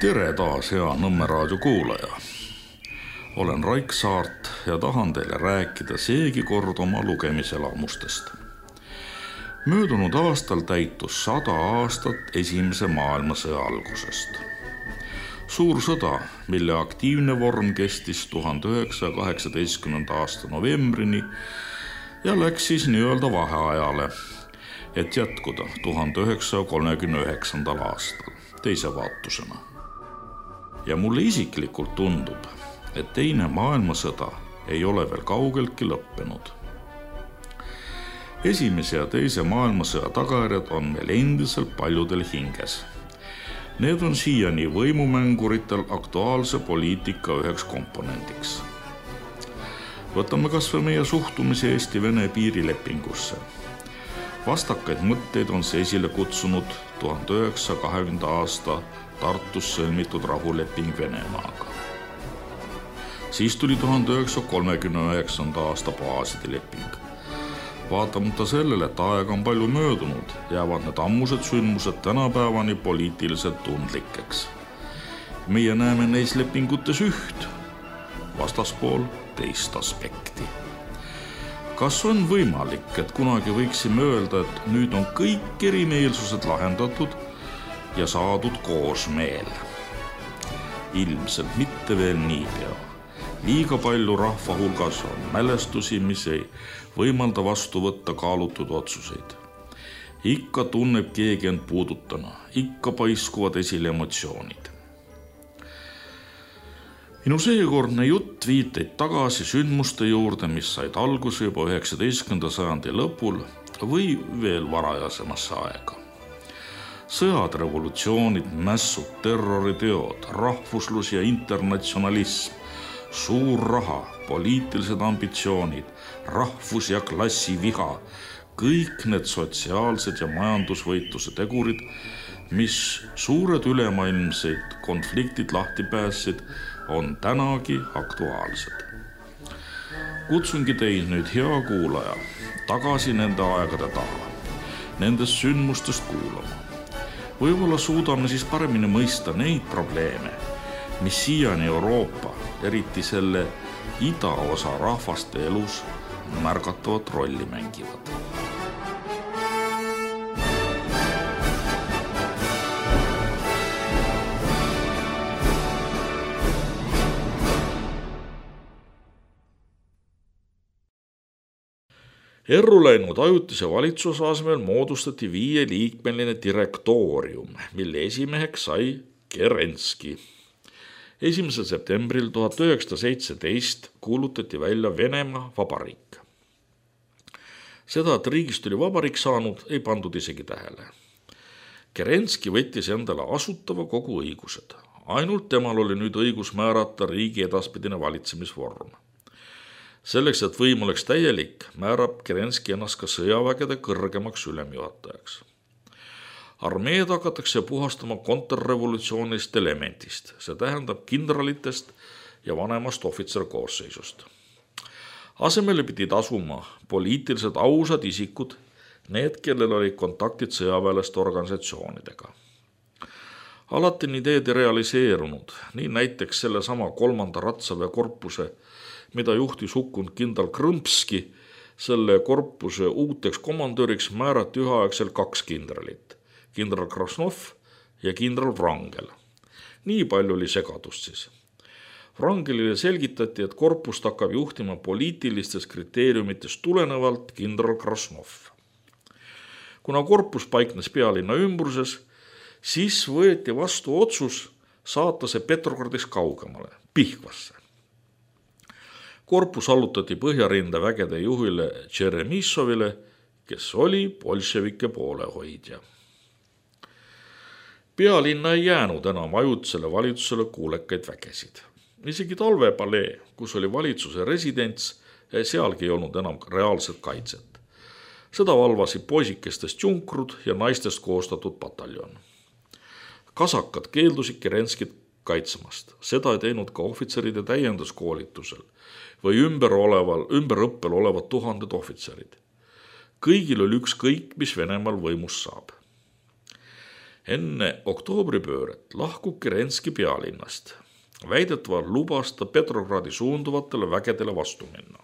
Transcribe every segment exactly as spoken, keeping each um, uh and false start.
Tere taas, hea Nõmme raadio kuulaja. Olen Raik Saart ja tahan teile rääkida seegi kord oma lugemiselamustest. Möödunud aastal täitus sada aastat esimese maailmasõja algusest. Suur sõda, mille aktiivne vorm kestis tuhande üheksasaja kaheksateistkümnenda aasta novembrini ja läks siis nii-öelda vaheajale, et jätkuda tuhande üheksasaja kolmekümne üheksandal aastal teise vaatusena. Ja mulle isiklikult tundub, et teine maailmasõda ei ole veel kaugeltki lõppenud. Esimese ja teise maailmasõja tagajärjed on meil endiselt paljudel hinges. Need on siiani võimumänguritel aktuaalse poliitika üheks komponendiks. Võtame kas või meie suhtumise Eesti-Vene piirilepingusse. Vastakaid mõtteid on see esile kutsunud tuhande üheksasaja kahekümnenda aasta Tartus sõlmitud rahuleping Venemaaga. Siis tuli tuhande üheksasaja kolmekümne üheksanda aasta baaside leping. Vaatamata sellele, et aega on palju möödunud, jäävad need ammused sündmused tänapäevani poliitiliselt tundlikeks. Meie näeme neis lepingutes üht, vastaspool teist aspekti. Kas on võimalik, et kunagi võiksime öelda, et nüüd on kõik erimeelsused lahendatud ja saadud koosmeel? Ilmselt mitte veel niipea. Liiga palju rahva hulgas on mälestusi, mis ei võimalda vastu võtta kaalutud otsuseid. Ikka tunneb keegi end puudutana, ikka paiskuvad esile emotsioonid. Minu seekordne jutt viiteid tagasi sündmuste juurde, mis said alguse juba üheksateistkümnenda sajandi lõpul või veel varajasemasse aega. Sõjad, revolutsioonid, mässud, terroriteod, rahvuslus ja internatsionalism, suur raha, poliitilised ambitsioonid, rahvus- ja klassiviha, kõik need sotsiaalsed ja majandusvõitluse tegurid, mis suured ülemaailmseid konfliktid lahti päässid, on tänagi aktuaalsed. Kutsungi teid nüüd, hea kuulaja, tagasi nende aegade taha, nendest sündmustest kuulama. Võib-olla suudame siis paremini mõista neid probleeme, mis siiani Euroopa, eriti selle idaosa rahvaste elus märgatavat rolli mängivad. Erru läinud ajutise valitsuse asemel moodustati viieliikmeline direktoorium, mille esimeheks sai Kerenski. esimesel septembril tuhat üheksasada seitseteist kuulutati välja Venemaa vabariik. Seda, et riigist oli vabariik saanud, ei pandud isegi tähele. Kerenski võttis endale asutava kogu õigused. Ainult temal oli nüüd õigus määrata riigi edaspidine valitsemisvorm. Selleks, et võim oleks täielik, määrab Kerenski ennast ka sõjavägede kõrgemaks ülemjuhatajaks. Armeed hakatakse puhastama kontrrevolutsioonist elementist, see tähendab kindralitest ja vanemast ohvitserkoosseisust. Asemele pidid asuma poliitiliselt ausad isikud, need, kellel olid kontaktid sõjaväelaste organisatsioonidega. Alati on ideed realiseerunud, nii näiteks selle sama kolmanda ratsaväe korpuse, mida juhtis hukkunud kindral Krõmpski, selle korpuse uuteks komandöriks määrati üheaegselt kaks kindralit, kindral Krasnov ja kindral Wrangel. Nii palju oli segadust siis. Wrangelile selgitati, et korpust hakkab juhtima poliitilistest kriteeriumitest tulenevalt kindral Krasnov. Kuna korpus paiknes pealinna ümbruses, siis võeti vastu otsus saata see Petrogradis kaugemale, Pihkvasse. Korpus allutati Põhjarinde vägede juhile Tšeremissovile, kes oli bolševike poolehoidja. Pealinna ei jäänud enam ajutisele valitsusele kuulekaid vägesid. Isegi talvepalee, kus oli valitsuse residents, sealgi ei olnud enam reaalset kaitset. Seda valvasid poisikestest junkrud ja naistest koostatud pataljon. Kasakad keeldusid Kerenskit kaitsemast. Seda ei teinud ka ohvitseride täienduskoolitusel või ümber, oleval, ümber õppel olevad tuhanded ohvitserid. Kõigil oli ükskõik, mis Venemaal võimust saab. Enne oktoobripööret lahkub Kerenski pealinnast. Väidetavalt lubas ta Petrogradi suunduvatele vägedele vastu minna.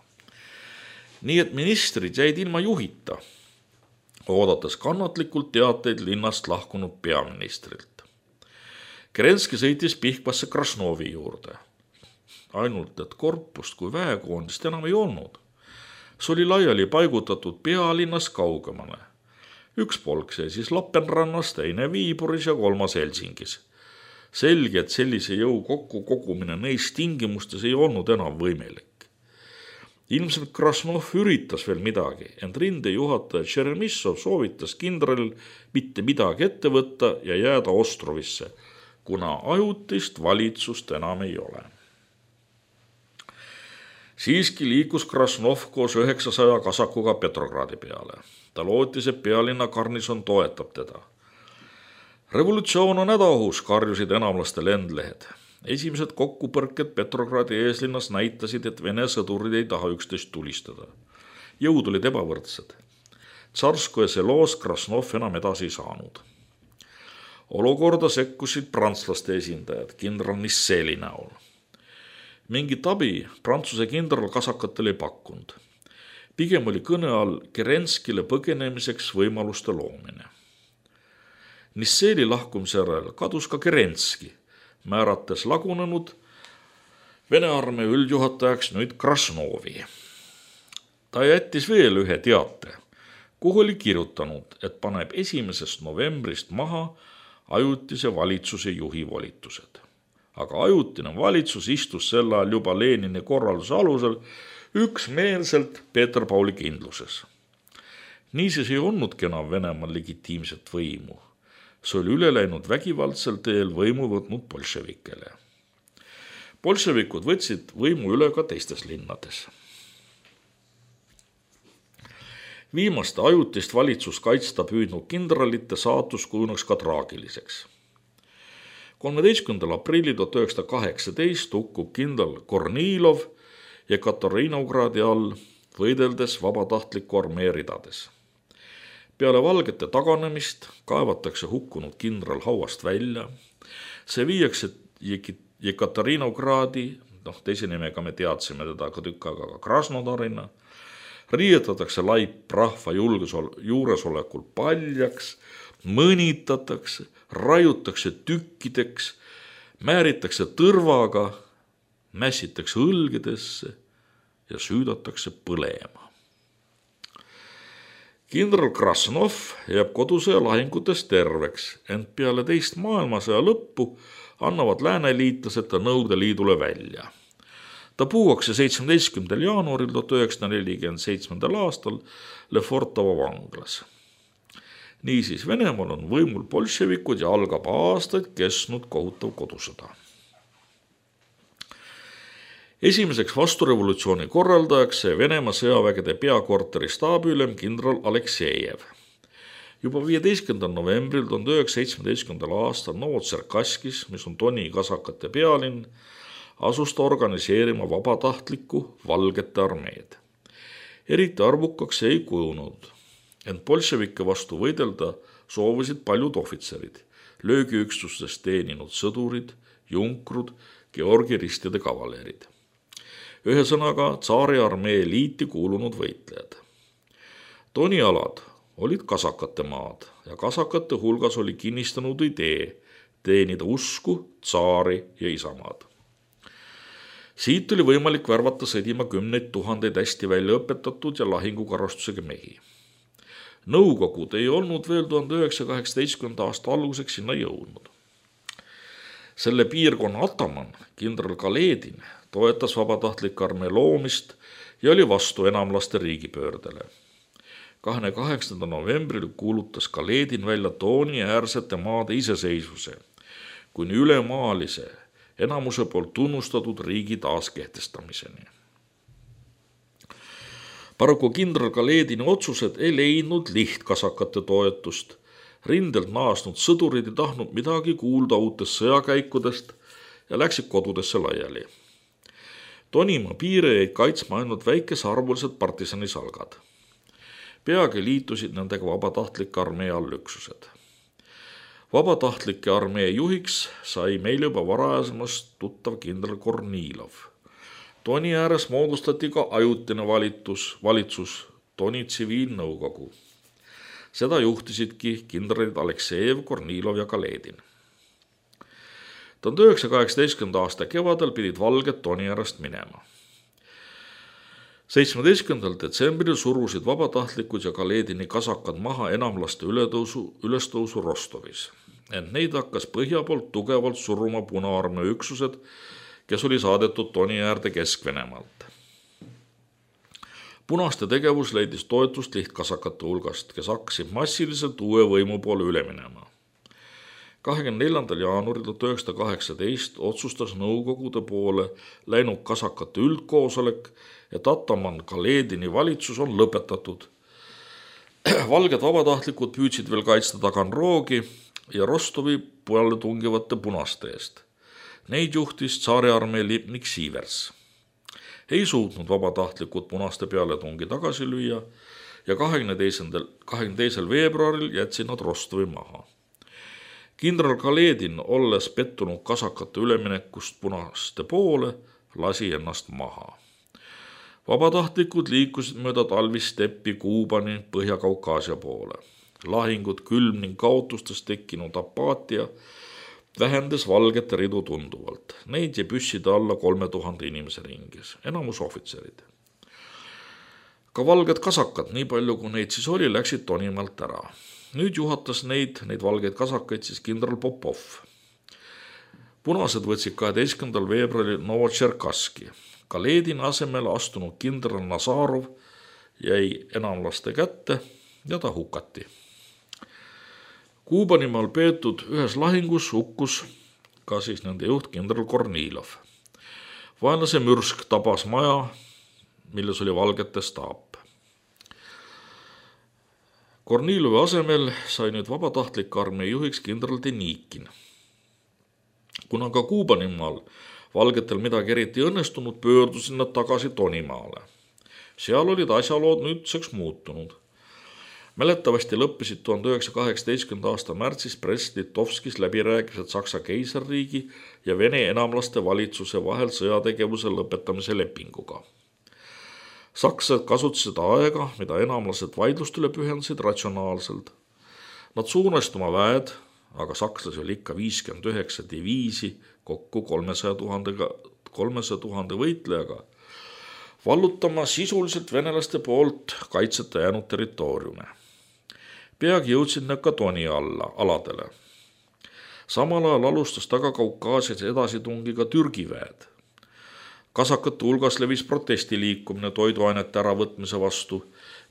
Nii et ministrid jäid ilma juhita, oodates kannatlikult teateid linnast lahkunud peaministrilt. Kerenski sõitis Pihkvasse Krasnovi juurde. Ainult, et korpust kui väekoondist enam ei olnud. See oli laiali paigutatud pealinnas kaugemale. Üks polk see siis Lapenrannas, teine Viiburis ja kolmas Helsingis. Selge, et sellise jõu kokku kogumine neis tingimustes ei olnud enam võimelik. Ilmselt Krasnov üritas veel midagi, ent rindejuhataja Tšeremissov soovitas kindralil mitte midagi ette võtta ja jääda Ostrovisse, kuna ajutist valitsust enam ei ole. Siiski liikus Krasnov koos üheksasaja kasakuga Petrogradi peale. Ta lootis, et pealinna garnison toetab teda. Revolutsioon on hädaohus, karjusid enamlaste lendlehed. Esimesed kokkupõrked Petrogradi eeslinnas näitasid, et Vene sõdurid ei taha üksteist tulistada. Jõud olid ebavõrdsed. Tsarskoja seloos Krasnov enam edasi ei saanud. Olukorda sekkusid prantslaste esindajad kindral Nisseli näol. Mingit abi Prantsuse kindral kasakatel ei pakkunud. Pigem oli kõne all Kerenskile põgenemiseks võimaluste loomine. Nisseli lahkumise järel kadus ka Kerenski, määrates lagunenud Vene armee üldjuhatajaks nüüd Krasnovi. Ta jättis veel ühe teate, kuhu oli kirjutanud, et paneb esimesest novembrist maha ajutise valitsuse juhi volitused. Aga ajutine valitsus istus sel ajal juba Lenini korralduse alusel üksmeelselt Peeter Pauli kindluses. Niisiis ei olnudki enam Venemaal legitiimset võimu. See oli üle läinud vägivaldsel teel võimu võtnud bolševikele. Bolševikud võtsid võimu üle ka teistes linnades. Viimaste ajutist valitsust kaitsta püüdnud kindralite saatus kujuneks ka traagiliseks. kolmeteistkümnendal aprillil tuhat üheksasada kaheksateist hukkub kindral Kornilov ja Katariinogradi all võideldes vabatahtliku armee ridades. Peale valgete taganemist kaevatakse hukkunud kindral hauast välja. See viiakse Jekaterinogradi, noh teise nimega me teadsime teda ka tükk aega ka Krasnodarina, riietatakse laip rahva juuresolekul paljaks, mõnitatakse, raiutakse tükkideks, määritakse tõrvaga, mässitakse õlgedesse ja süüdatakse põlema. Kindral Krasnov jääb kodusõja lahingutes terveks, ent peale teist maailmasõja lõppu annavad lääneliitlased ta Nõukogude Liidule välja. Ta puuakse seitsmeteistkümnendal jaanuaril tuhat üheksasada nelikümmend seitse aastal Lefortovo vanglas. Niisiis Venemaal on võimul bolševikud ja algab aastaid kestnud kohutav kodusõda. Esimeseks vasturevolutsiooni korraldajaks see Venemaa sõjavägede peakorteri staabiülem kindral Aleksejev. Juba viieteistkümnendal novembril tuhat üheksasada seitsmeteistkümnendal aastal Novotserkaskis, mis on Doni kasakate pealinn, asus ta organiseerima vabatahtlikku valgete armeed. Eriti arvukaks ei kujunud, ent bolševike vastu võidelda soovisid paljud ohvitserid, löögiüksustes teeninud sõdurid, junkrud, Georgi ristide kavalerid. Ühesõnaga tsaari armee liiti kuulunud võitlejad. Doni alad olid kasakate maad ja kasakate hulgas oli kinnistanud idee teenida usku, tsaari ja isamaad. Siit oli võimalik värvata sõdima kümneid tuhandeid hästi välja õpetatud ja lahingukarastusega mehi. Nõukogud ei olnud veel tuhande üheksasaja kaheksateistkümnenda aasta alguseks sinna jõudnud. Selle piirkonna ataman, kindral Kaledin, toetas vabatahtlik armee loomist ja oli vastu enamlaste riigipöördele. kahekümne kaheksandal novembril kuulutas Kaledin välja Doni äärsete maade iseseisvuse, kuni ülemaalise enamuse poolt tunnustatud riigi taaskehtestamiseni. Paraku kindral Kaledini otsused ei leidnud lihtkasakate toetust. Rindelt naasnud sõdurid ei tahtnud midagi kuulda uutest sõjakäikudest ja läksid kodudesse laiali. Donimaa piire jäid kaitsma ainult väikesarvulised partisanisalgad. Peagi liitusid nendega vabatahtlik armee allüksused. Vabatahtlike armee juhiks sai meil juba varasemast tuttav kindral Kornilov. Toni ääres moodustati ka ajutine valitus, valitsus, Toni tsiviilnõukogu. Seda juhtisidki kindralid Aleksejev, Kornilov ja Kaledin. tuhande üheksasaja kaheksateistkümnenda aasta kevadel pidid valged Toni äärest minema. seitsmeteistkümnendal detsembril surusid vabatahtlikud ja Kaledini kasakad maha enamlaste ületõusu, ülestõusu Rostovis. Ent neid hakkas põhja poolt tugevalt suruma Punaarmee üksused, kes oli saadetud Toni äärde Kesk-Venemaalt. Punaste tegevus leidis toetust lihtkasakate hulgast, kes hakkasid massiliselt uue võimu poole üle minema. kahekümne neljandal jaanuaril tuhat üheksasada kaheksateist otsustas nõukogude poole läinud kasakate üldkoosolek, et Ataman Kaledini valitsus on lõpetatud. Valged vabatahtlikud püüdsid veel kaitsta Taganrogi ja Rostovi peale tungivate punaste eest. Neid juhtis tsaariarmee lipnik Siivers. Ei suutnud vabatahtlikud punaste peale tungi tagasi lüüa ja kahekümne teisel veebruaril jätsid nad Rostovi maha. Kindral Kaledin, olles pettunud kasakate üleminekust punaste poole, lasi ennast maha. Vabatahtlikud liikusid mööda talvisteppi Kuubani Põhja-Kaukaasia poole. Lahingud, külm ning kaotustest tekkinud apaatia vähendas valgete ridu tunduvalt. Neid jäi püsside alla kolme tuhande inimese ringis, enamus ohvitserid. Ka valged kasakad, nii palju kui neid siis oli, läksid Tonimaalt ära. Nüüd juhatas neid, neid valgeid kasakaid siis kindral Popov. Punased võtsid kaheteistkümnendal veebruaril Novotšerkaski. Kaledini asemel astunud kindral Nazarov jäi enamlaste kätte ja ta hukati. Kuubanimaal peetud ühes lahingus hukkus ka siis nende juht kindral Kornilov. Vaenlase mürsk tabas maja, milles oli valgete staap. Kornilovi asemel sai nüüd vabatahtlike armee juhiks kindral Denikin. Kuna ka Kuubanimaal valgetel midagi eriti õnnestunud, pöördusid nad tagasi Tonimaale. Seal olid asjalood nüüdseks muutunud. Mäletavasti lõppesid tuhande üheksasaja kaheksateistkümnenda aasta märtsis Brest-Litovskis läbirääkimised Saksa keisarriigi ja Vene enamlaste valitsuse vahel sõjategevuse lõpetamise lepinguga. Sakslased kasutasid aega, mida enamlased vaidlustele pühendasid, ratsionaalselt. Nad suunasid oma väed, aga sakslasi oli ikka viiskümmend üheksa diviisi kokku kolmesaja tuhande võitlejaga, vallutama sisuliselt venelaste poolt kaitseta jäänud territooriume. Peagi jõudsid nad ka Toni alla, aladele. Samal ajal alustas Taga-Kaukaasias edasitungi ka Türgi väed. Kasakate hulgas levis protestiliikumine toiduainete äravõtmise vastu,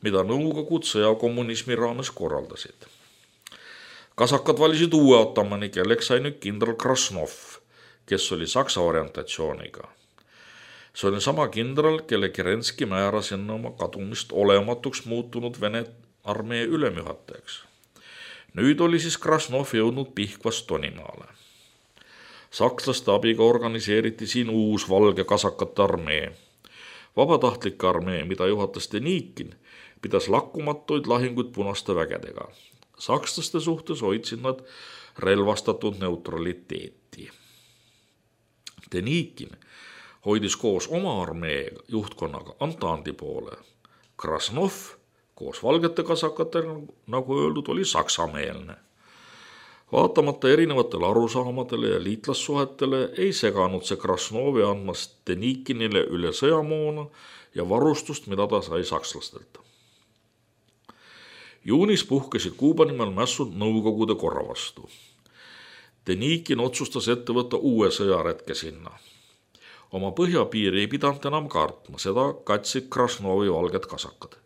mida nõukogud sõjakommunismi raames korraldasid. Kasakad valisid uue atamani, kelleks sai nüüd kindral Krasnov, kes oli Saksa orientatsiooniga. See oli sama kindral, kelle Kerenski määras enne oma kadumist olematuks muutunud Vene armee ülemjuhatajaks. Nüüd oli siis Krasnov jõudnud Pihkvast Tonimaale. Sakslaste abiga organiseeriti siin uus valge kasakate armee. Vabatahtlike armee, mida juhatas Denikin, pidas lakkumatuid lahinguid punaste vägedega. Sakslaste suhtes hoidsid nad relvastatud neutraliteeti. Denikin hoidis koos oma armee juhtkonnaga Antandi poole. Krasnov koos valgete kasakatega, nagu öeldud, oli saksameelne. Vaatamata erinevatele arusaamadele ja liitlassuhetele ei seganud see Krasnovi andmast Denikinile üle sõjamoona ja varustust, mida ta sai sakslastelt. Juunis puhkesid Kuubanimaal mässud nõukogude korra vastu. Denikin otsustas ette võtta uue sõjaretke sinna. Oma põhjapiiri ei pidanud enam kartma, seda katsid Krasnovi valged kasakad.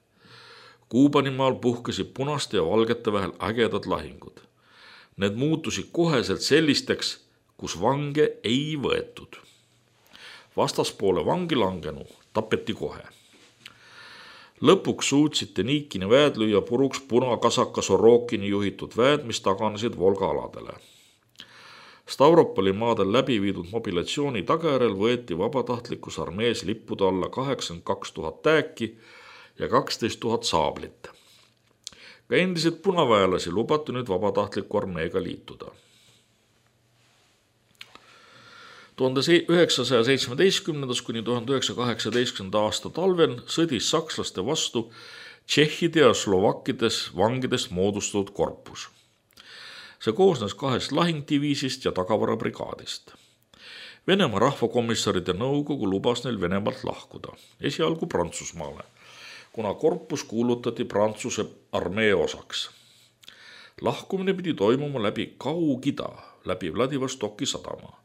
Kuubanimaal puhkesid punaste ja valgete vahel ägedad lahingud. Need muutusid koheselt sellisteks, kus vange ei võetud. Vastaspoole vangi langenu tapeti kohe. Lõpuks suutsid Denikini väed lüüa puruks punakasaka Sorokini juhitud väed, mis taganesid Volga aladele. Stavropoli maadel läbi viidud mobilatsiooni tagajärel võeti vabatahtlikus armees lippude alla kaheksakümmend kaks tuhat tääki ja kaksteist tuhat saablit. Ka endiselt punaväelasi lubati nüüd vabatahtliku armeega liituda. tuhande üheksasaja seitsmeteistkümnendast kuni tuhande üheksasaja kaheksateistkümnenda aasta talvel sõdis sakslaste vastu tšehhide ja slovakkides vangidest moodustatud korpus. See koosnes kahest lahingdiviisist ja tagavarabrigaadist. Venemaa rahvakomissaride nõukogu lubas neil Venemaalt lahkuda, esialgu Prantsusmaale, kuna korpus kuulutati Prantsuse armee osaks. Lahkumine pidi toimuma läbi Kaug-Ida, läbi Vladivostoki sadama.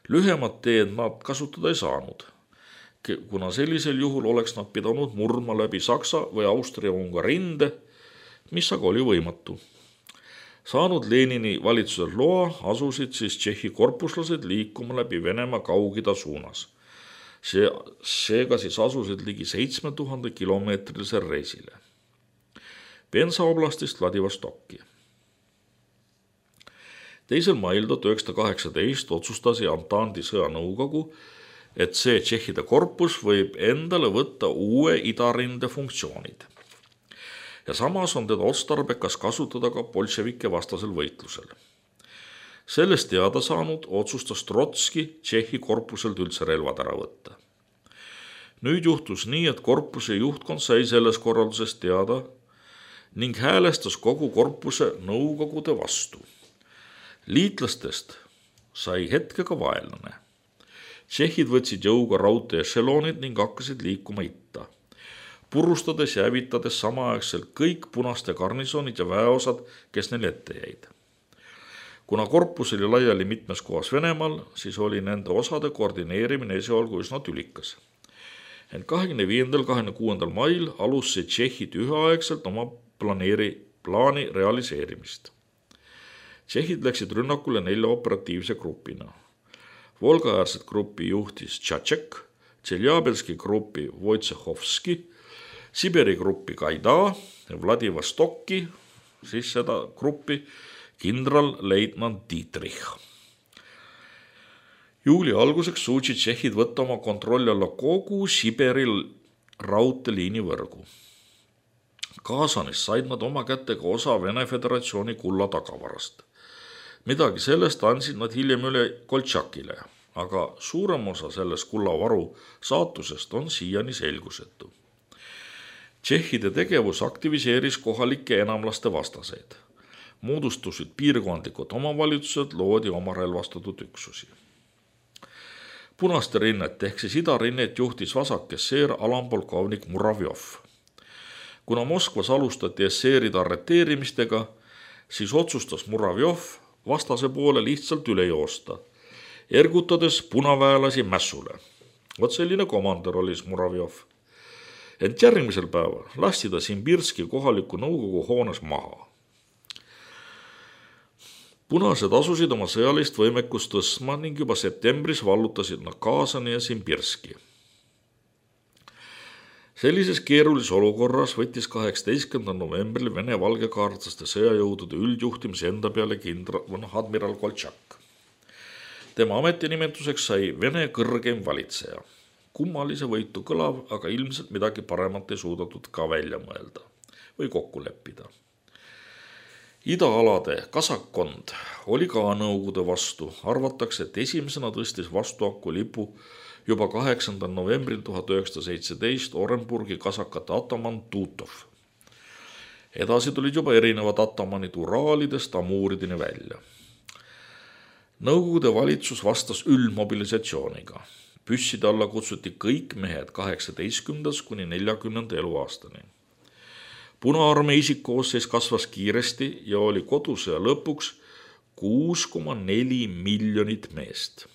Lühemad teed nad kasutada ei saanud, kuna sellisel juhul oleks nad pidanud murdma läbi Saksa või Austria-Ungari rinde, mis aga oli võimatu. Saanud Lenini valitsusel loa, asusid siis Tšehhi korpuslased liikuma läbi Venemaa Kaug-Ida suunas. See, seega siis asusid ligi seitsme tuhande kilomeetrisel reisile. Penza oblastist Vladivostokki. teisel mail tuhat üheksasada kaheksateist otsustas Antandi sõjanõukogu, et see tšehhide korpus võib endale võtta uue idarinde funktsioonid. Ja samas on teda otstarbekas kasutada ka bolševike vastasel võitlusel. Sellest teada saanud otsustas Trotski Tšehhi korpuselt üldse relvad ära võtta. Nüüd juhtus nii, et korpuse juhtkond sai selles korraldusest teada ning häälestas kogu korpuse nõukogude vastu. Liitlastest sai hetkega vaenlane. Tšehhid võtsid jõuga raudtee ešeloonid ning hakkasid liikuma itta, purustades ja hävitades samaaegselt kõik punaste garnisonid ja väeosad, kes neil ette jäid. Kuna korpus oli laiali mitmes kohas Venemaal, siis oli nende osade koordineerimine esialgu üsna tülikas. Ent kahekümne viiendal kahekümne kuuendal mail alustasid Tšehhid üheaegselt oma planeeri, plaani realiseerimist. Tšehhid läksid rünnakule nelja operatiivse grupina. Volga-äärset gruppi juhtis Tšatšek, Tšeljabelski gruppi Wojciechowski, Siberi gruppi Gaida, Vladivostokki, siis seda gruppi kindralleitnant Dietrich. Juuli alguseks suutsid Tšehhid võtta oma kontrolli alla kogu Siberi raudteeliini võrgu. Kaasanis said nad oma kätega osa Vene Föderatsiooni kulla tagavarast. Midagi sellest andsid nad hiljem üle Koltšakile, aga suurem osa sellest kullavaru saatusest on siiani selgusetu. Tšehhide tegevus aktiviseeris kohalike enamlaste vastaseid. Moodustusid piirkondlikud omavalitsused, loodi oma relvastatud üksusi. Punaste rinnet ehk siis idarinnet juhtis vasakesseer alampolkovnik Muravjov. Kuna Moskvas alustati esseeride arreteerimistega, siis otsustas Muravjov vastase poole lihtsalt üle joosta, ergutades punaväelasi mässule. Vot selline komandör oli Muravjov. Ent järgmisel päeval lasti ta Simbirski kohaliku nõukogu hoones maha. Punased asusid oma sõjalist võimekust tõstma ning juba septembris vallutasid nad Kaasani ja Simbirski. Sellises keerulises olukorras võttis kaheksateistkümnendal novembril Vene valgekaartlaste sõjajõudude üldjuhtimise enda peale kindral, admiral Koltšak. Tema ametinimetuseks sai Vene kõrgeim valitseja. Kummalise võitu kõlav, aga ilmselt midagi paremat ei suudatud ka välja mõelda või kokku leppida. Idaalade kasakkond oli ka nõukogude vastu. Arvatakse, et esimesena tõstis vastuhaku lipu juba kaheksandal novembril tuhat üheksasada seitseteist Orenburgi kasakate ataman Tutov. Edasi tulid juba erinevad atamanid Uraalidest Amuuridini välja. Nõukogude valitsus vastas üldmobilisatsiooniga. Püsside alla kutsuti kõik mehed kaheksateistkümnendast kuni neljakümnenda eluaastani. Punaarmee isikkoosseis kasvas kiiresti ja oli kodusõja lõpuks kuus koma neli miljonit meest.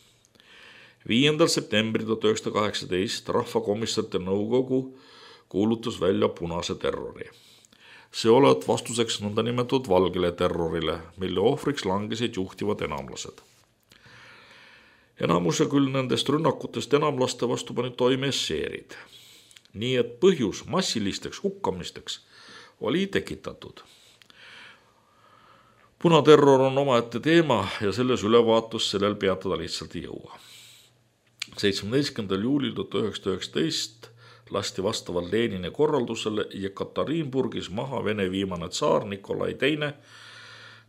viiendal septembril tuhat üheksasada kaheksateist rahvakomissarite nõukogu kuulutas välja punase terrori. See olevat vastuseks nõnda nimetatud valgele terrorile, mille ohvriks langesid juhtivad enamlased. Enamuse küll nendest rünnakutest enamlaste vastu panid toime esseerid. Nii et põhjus massilisteks hukkamisteks oli tekitatud. Punaterror on omaette teema ja selles ülevaatus sellel peatada lihtsalt ei jõua. seitsmeteistkümnendal juulil tuhat üheksasada üheksateist lasti vastavalt Lenini korraldusele Jekaterinburgis maha Vene viimane tsaar Nikolai teine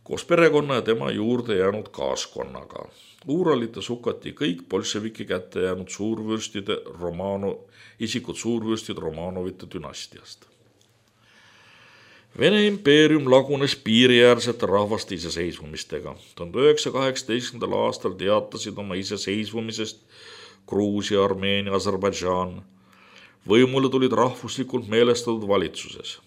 koos perekonna ja tema juurde jäänud kaaskonnaga. Uuralites hukati kõik bolševiki kätte jäänud suurvürstide Romano, isikud suurvürstid Romanovite dünastiast. Vene impeerium lagunes piiriäärsete rahvaste iseseisvumistega. tuhande üheksasaja kaheksateistkümnendal aastal teatasid oma iseseisvumisest Gruusia, Armeenia, Aserbaidžaan. Võimule tulid rahvuslikult meelestatud valitsuses.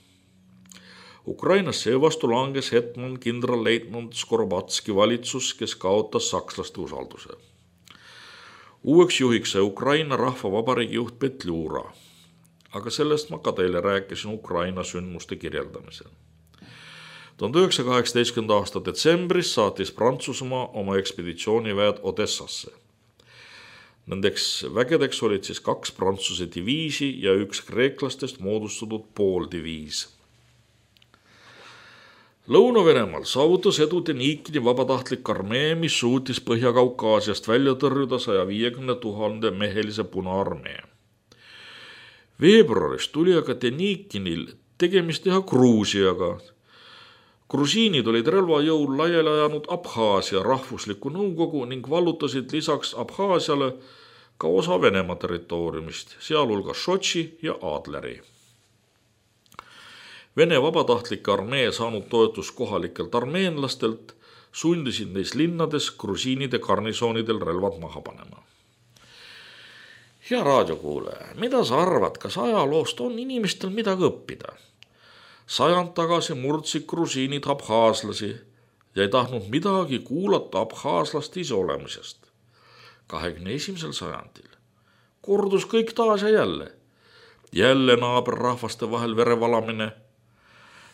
Ukrainas seevastu langes hetman kindralleitnant Skorobatski valitsus, kes kaotas sakslaste usalduse. Uueks juhiks sai Ukraina rahvavabariigi juht Petliura, aga sellest ma ka teile rääkisin Ukraina sündmuste kirjeldamisel. tuhande üheksasaja kaheksateistkümnenda aasta detsembris saatis Prantsusmaa oma ekspeditsiooniväed Odessasse. Nendeks vägedeks olid siis kaks Prantsuse diviisi ja üks kreeklastest moodustatud pooldiviis. Lõuna-Venemaal saavutas edu Denikini vabatahtlik armee, mis suutis Põhja-Kaukaasiast välja tõrjuda saja viiekümne tuhande mehelise Punaarmee. Veebruaris tuli aga Denikinil tegemist teha Gruusiaga. Grusiinid olid relvajõul laiali ajanud Abhaasia rahvusliku nõukogu ning vallutasid lisaks Abhaasiale ka osa Venemaa territooriumist, sealhulgas Sotši ja Adleri. Vene vabatahtlike armee saanud toetus kohalikelt armeenlastelt sundisid neis linnades grusiinide garnisoonidel relvad maha panema. Hea raadiokuulaja, mida sa arvad, kas ajaloost on inimestel midagi õppida? Sajand tagasi murdsid grusiinid abhaaslasi ja ei tahtnud midagi kuulata abhaaslaste iseolemisest. kahekümne esimesel sajandil kordus kõik taas ja jälle. Jälle naaberrahvaste vahel verevalamine.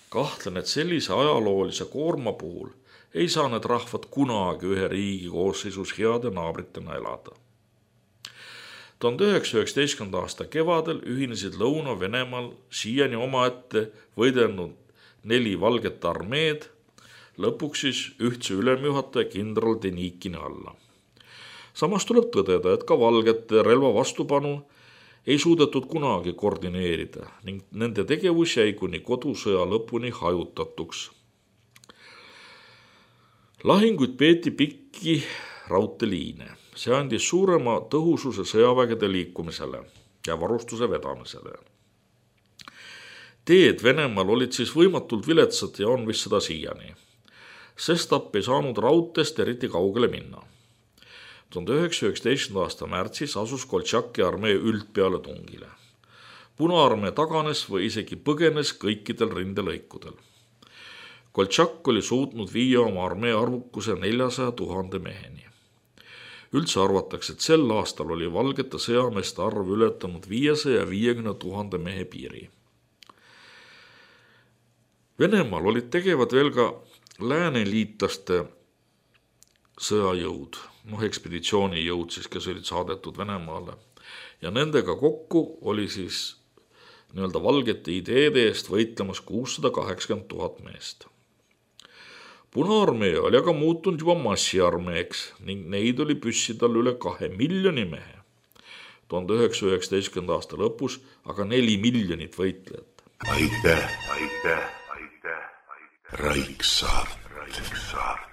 Kahtlen, et sellise ajaloolise koorma puhul ei saa need rahvad kunagi ühe riigi koosseisus heade naabritena elada. tuhande üheksasaja üheksateistkümnenda aasta kevadel ühinesid Lõuna-Venemaal siiani omaette võidelnud neli valget armeed, lõpuks siis ühtse ülemjuhataja kindral Denikini alla. Samas tuleb tõdeda, et ka valgete relva vastupanu ei suudetud kunagi koordineerida ning nende tegevus jäi kuni kodusõja lõpuni hajutatuks. Lahinguid peeti pikki raudteeliine. See andis suurema tõhususe sõjavägede liikumisele ja varustuse vedamisele. Teed Venemaal olid siis võimatult viletsad ja on vist seda siiani. Sestap ei saanud raudteest eriti kaugele minna. tuhande üheksasaja üheksateistkümnenda aasta märtsis asus Koltšaki armee üldpeale tungile. Punaarmee taganes või isegi põgenes kõikidel rindelõikudel. Koltšak oli suutnud viia oma armee arvukuse neljasaja tuhande meheni. Üldse arvatakse, et sel aastal oli valgete sõjameeste arv ületanud viiesaja viiekümne tuhande mehe piiri. Venemaal olid tegevad veel ka lääneliitlaste sõjajõud, noh ekspeditsioonijõud siis, kes olid saadetud Venemaale. Ja nendega kokku oli siis nii-öelda valgete ideede eest võitlemas kuussada kaheksakümmend tuhat meest. Punaarmee oli aga muutunud juba massiarmeeks ning neid oli püssidal üle kahe miljoni mehe. tuhande üheksasaja üheksateistkümnenda aasta lõpus aga neli miljonit võitlejat. Aitäh, aitäh, aitäh, aitäh. Raiksaart. Raiksaart.